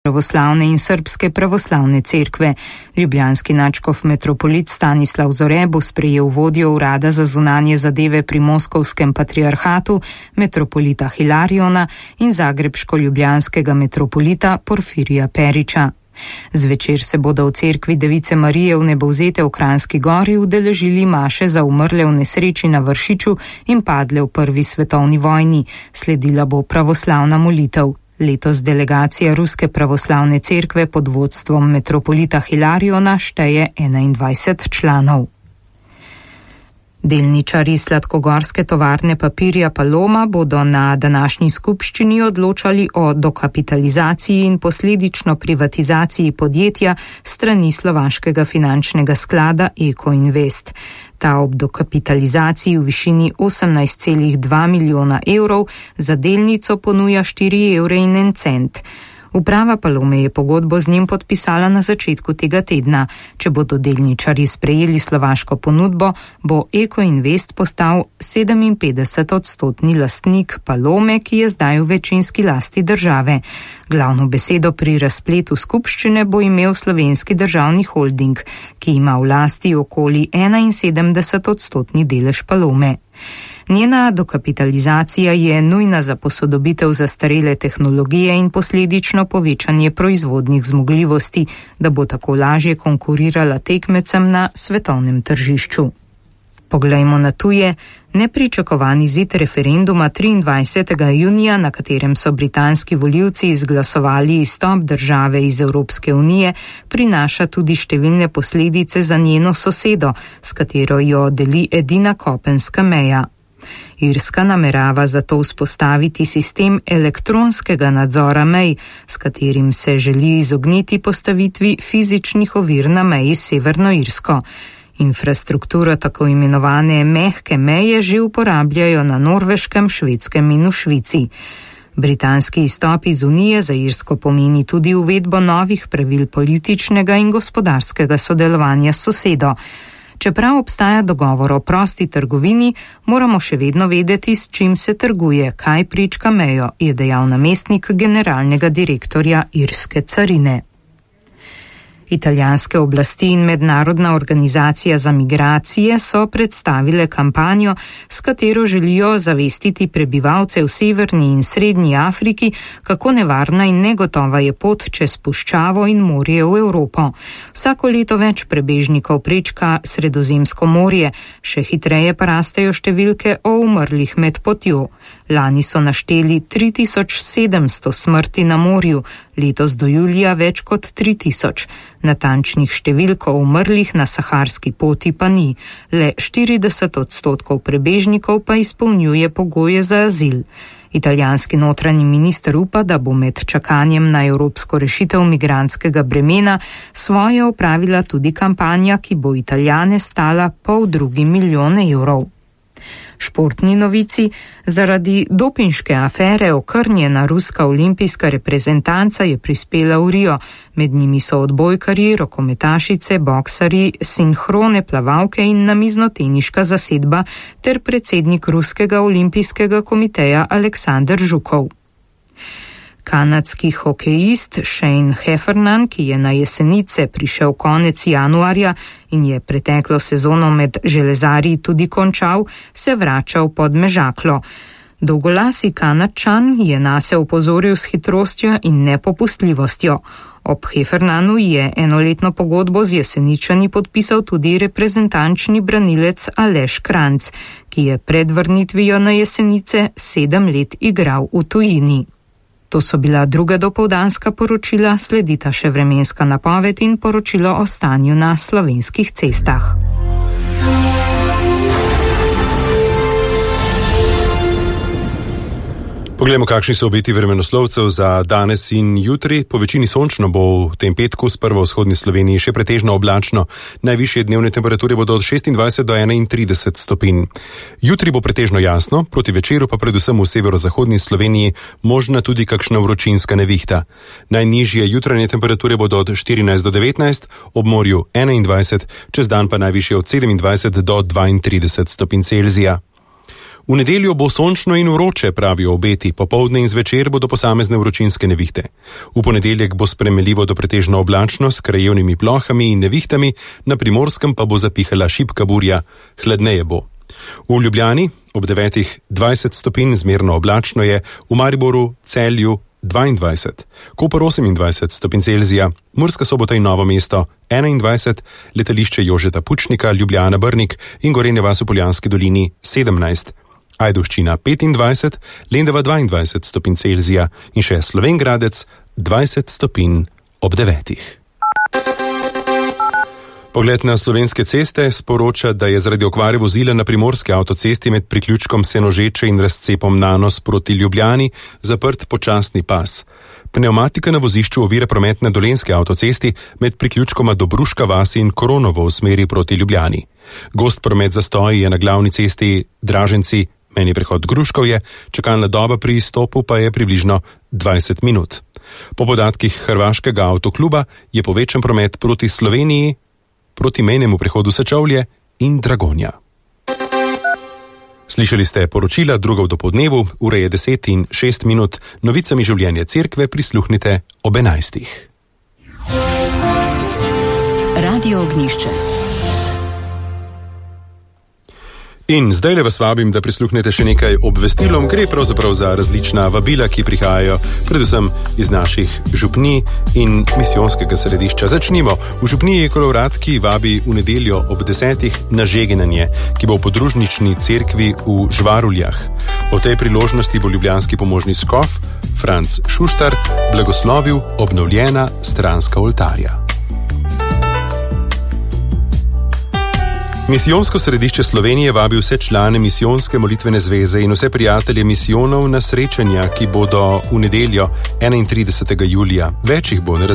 pravoslavne in srbske pravoslavne cerkve. Ljubljanski nadškof metropolit Stanislav Zore bo sprejel vodjo urada za zunanje zadeve pri Moskovskem patriarhatu, metropolita Hilariona in zagrebško-ljubljanskega metropolita Porfirija Periča. Zvečer se bodo v cerkvi Device Marije v Nebovzete v Kranjski Gori udeležili maše za umrle v nesreči na Vršiču in padle v prvi svetovni vojni. Sledila bo pravoslavna molitev. Letos delegacija Ruske pravoslavne cerkve pod vodstvom metropolita Hilariona šteje 21 članov. Delničarji sladkogorske tovarne papirja Paloma bodo na današnji skupščini odločali o dokapitalizaciji in posledično privatizaciji podjetja strani slovaškega finančnega sklada Eko Invest. Ta ob dokapitalizaciji v višini 18,2 milijona evrov za delnico ponuja 4,01 evra. Uprava Palome je pogodbo z njim podpisala na začetku tega tedna. Če bodo delničarji sprejeli slovaško ponudbo, bo Eko Invest postal 57-odstotni lastnik Palome, ki je zdaj v večinski lasti države. Glavno besedo pri razpletu skupščine bo imel Slovenski državni holding, ki ima v lasti okoli 71-odstotni delež Palome. Njena dokapitalizacija je nujna za posodobitev zastarele tehnologije in posledično povečanje proizvodnih zmogljivosti, da bo tako lažje konkurirala tekmecem na svetovnem tržišču. Poglejmo na tuje. Nepričakovani izid referenduma 23. junija, na katerem so britanski volivci izglasovali izstop države iz Evropske unije, prinaša tudi številne posledice za njeno sosedo, s katero jo deli edina kopenska meja. Irska namerava zato vzpostaviti sistem elektronskega nadzora mej, s katerim se želi izogniti postavitvi fizičnih ovir na meji s Severno Irsko. Infrastrukturo tako imenovane mehke meje že uporabljajo na Norveškem, Švedskem in v Švici. Britanski izstop iz Unije za Irsko pomeni tudi uvedbo novih pravil političnega in gospodarskega sodelovanja s sosedo. Čeprav obstaja dogovor o prosti trgovini, moramo še vedno vedeti, s čim se trguje, kaj prečka mejo, je dejal namestnik generalnega direktorja irske carine. Italijanske oblasti in mednarodna organizacija za migracije so predstavile kampanjo, s katero želijo zavestiti prebivalce v severni in srednji Afriki, kako nevarna in negotova je pot čez puščavo in morje v Evropo. Vsako leto več prebežnikov prečka Sredozemsko morje, še hitreje pa rastejo številke o umrlih med potjo. Lani so našteli 3700 smrti na morju, letos do julija več kot 3000. Natančnih številk o umrlih na saharski poti pa ni. Le 40% prebežnikov pa izpolnjuje pogoje za azil. Italijanski notranji minister upa, da bo med čakanjem na evropsko rešitev migrantskega bremena svoje opravila tudi kampanja, ki bo Italijane stala 2,5 milijona evrov. Športni novici. Zaradi dopinške afere okrnjena ruska olimpijska reprezentanca je prispela v Rio. Med njimi so odbojkarji, rokometašice, boksarji, sinhrone plavalke in namiznoteniška zasedba ter predsednik ruskega olimpijskega komiteja Aleksandar Žukov. Kanadski hokejist Shane Heffernan, ki je na Jesenice prišel konec januarja in je preteklo sezono med železarji tudi končal, se vrača v Podmežaklo. Dolgolasi Kanadčan je nase opozoril s hitrostjo in nepopustljivostjo. Ob Heffernanu je enoletno pogodbo z Jeseničani podpisal tudi reprezentančni branilec Aleš Kranjc, ki je pred vrnitvijo na Jesenice 7 let igral v tujini. To so bila druga dopoldanska poročila, sledita še vremenska napoved in poročilo o stanju na slovenskih cestah. Poglejmo, kakšni so obeti vremenoslovcev za danes in jutri. Po večini sončno bo v tem petku s prvo vzhodni Sloveniji še pretežno oblačno. Najvišje dnevne temperature bodo od 26 do 31 stopinj. Jutri bo pretežno jasno, proti večeru pa predvsem v severozahodni Sloveniji možna tudi kakšna vročinska nevihta. Najnižje jutranje temperature bodo od 14 do 19, ob morju 21, čez dan pa najvišje od 27 do 32 stopinj Celzija. V nedeljo bo sončno in vroče, pravijo obeti, popoldne in zvečer bodo posamezne vročinske nevihte. V ponedeljek bo spremenljivo do pretežno oblačno s krajevnimi plohami in nevihtami, na Primorskem pa bo zapihala šibka burja, hladneje bo. V Ljubljani ob 9:20 stopinj zmerno oblačno je, v Mariboru, Celju 22, Koper 28 stopinj Celzija, Murska Sobota in Novo mesto 21, letališče Jožeta Pučnika, Ljubljana Brnik in Gorenja vas v Poljanski dolini 17, Ajdovščina 25, Lendava 22 stopinj Celzija in še Slovenj Gradec 20 stopinj ob 9. Pogled na slovenske ceste sporoča, da je zaradi okvare vozila na primorski avtocesti med priključkom Senožeče in razcepom Nanos proti Ljubljani zaprt počasni pas. Pneumatika na vozišču ovira promet na dolenski avtocesti med priključkoma Dobruška vasi in Koronovo v smeri proti Ljubljani. Gost promet zastoji je na glavni cesti Draženci, meni prehod Gruškovje, čakalna doba pri izstopu pa je približno 20 minut. Po podatkih Hrvaškega avtokluba je povečan promet proti Sloveniji, proti mejnemu prehodu Sečovlje in Dragonja. Slišali ste poročila drugo v dopoldnevu, ure je 10:06, novicami življenja cerkve prisluhnite ob 11. Radio Ognjišče. In zdaj vas vabim, da prisluhnete še nekaj obvestilom. Gre pravzaprav za različna vabila, ki prihajajo predvsem iz naših župnij in misijonskega središča. Začnimo. V župniji Kolovratki vabi v nedeljo ob 10. na žegnanje, ki bo v podružnični cerkvi v Žvaruljah. O tej priložnosti bo ljubljanski pomožni škof Franc Šuštar blagoslovil obnovljena stranska oltarja. Misijonsko središče Slovenije vabi vse člane misijonske molitvene zveze in vse prijatelje misijonov na srečanja, ki bodo v nedeljo 31. julija. Več jih bo na